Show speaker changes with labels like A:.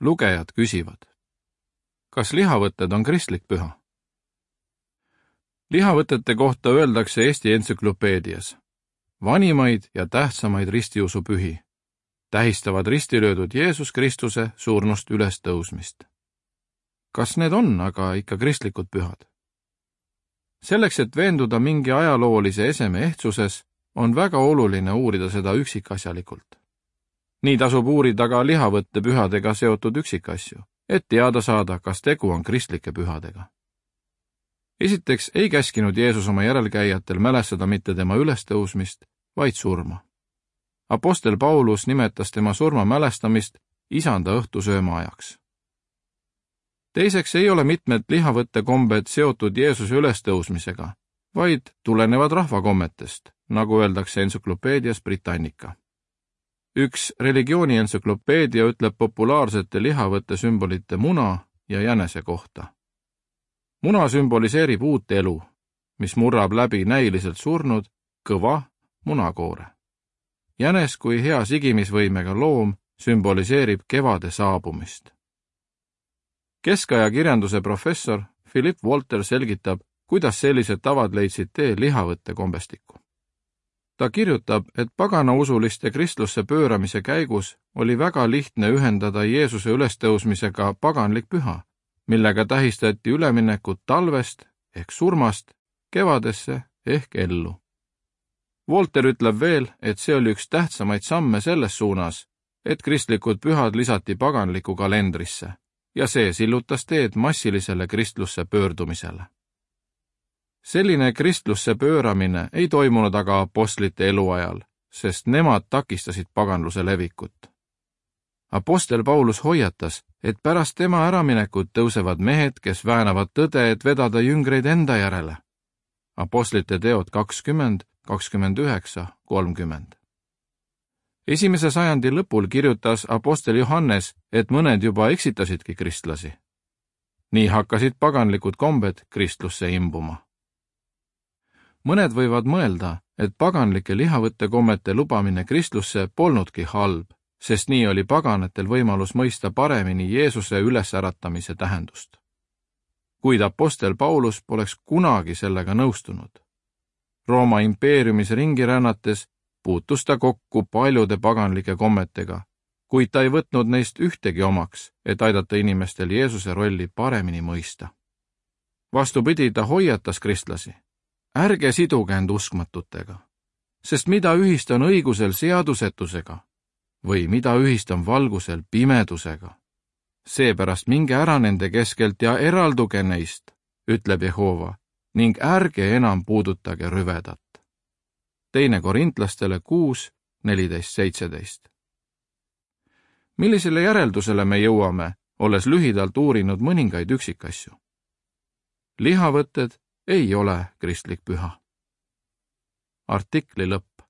A: Lugejad küsivad: kas lihavõtted on kristlik püha? Lihavõtete kohta öeldakse Eesti entsüklopeedias: vanimaid ja tähtsamaid ristiusupühi tähistavad ristilöödud Jeesus Kristuse surnust ülestõusmist. Kas need on aga ikka kristlikud pühad? Selleks, et veenduda mingi ajaloolise eseme ehtsuses, on väga oluline uurida seda üksikasjalikult. Nii tasub uurida ka lihavõtte pühadega seotud üksikasju, et teada saada, kas tegu on kristlike pühadega. Esiteks ei käskinud Jeesus oma järelkäijatel mälestada mitte tema ülestõusmist, vaid surma. Apostel Paulus nimetas tema surma mälestamist isanda õhtusööma ajaks. Teiseks ei ole mitmed lihavõttekombed seotud Jeesuse ülestõusmisega, vaid tulenevad rahvakommetest, nagu öeldakse entsüklopeedias Britannica. Üks religiooni entsüklopeedia ütleb populaarsete lihavõtte sümbolite muna ja jänese kohta. Muna sümboliseerib uut elu, mis murrab läbi näiliselt surnud, kõva munakoore. Jänes kui hea sigimisvõimega loom sümboliseerib kevade saabumist. Keskaja kirjanduse professor Philip Walter selgitab, kuidas sellised tavad leidsid tee lihavõtte kombestikku. Ta kirjutab, et paganausuliste kristlusse pööramise käigus oli väga lihtne ühendada Jeesuse ülestõusmisega paganlik püha, millega tähistati üleminekut talvest ehk surmast kevadesse ehk ellu. Walter ütleb veel, et see oli üks tähtsamaid samme selles suunas, et kristlikud pühad lisati paganliku kalendrisse ja see sillutas teed massilisele kristlusse pöördumisele. Selline kristlusse pööramine ei toimunud aga apostlite eluajal, sest nemad takistasid paganluse levikut. Apostel Paulus hoiatas, et pärast tema äraminekut tõusevad mehed, kes väänavad tõde, et vedada jüngreid enda järele. Apostlite teod 20, 29, 30. Esimese sajandi lõpul kirjutas apostel Johannes, et mõned juba eksitasidki kristlasi. Nii hakkasid paganlikud kombed kristlusse imbuma. Mõned võivad mõelda, et paganlike lihavõttekommete lubamine kristlusse polnudki halb, sest nii oli paganatel võimalus mõista paremini Jeesuse ülesäratamise tähendust. Kuid apostel Paulus poleks kunagi sellega nõustunud. Rooma impeeriumis ringi rännates puutus ta kokku paljude paganlike kommetega, kuid ta ei võtnud neist ühtegi omaks, et aidata inimestel Jeesuse rolli paremini mõista. Vastupidi, ta hoiatas kristlasi: ärge siduge end uskmatutega, sest mida ühist on õigusel seadusetusega või mida ühist on valgusel pimedusega. Seepärast minge ära nende keskelt ja eralduge neist, ütleb Jehova, ning ärge enam puudutage rüvedat. 2 Korintlastele 6, 14-17. Millisele järeldusele me jõuame, olles lühidalt uurinud mõningaid üksikasju? Lihavõtted ei ole kristlik püha. Artikli lõpp.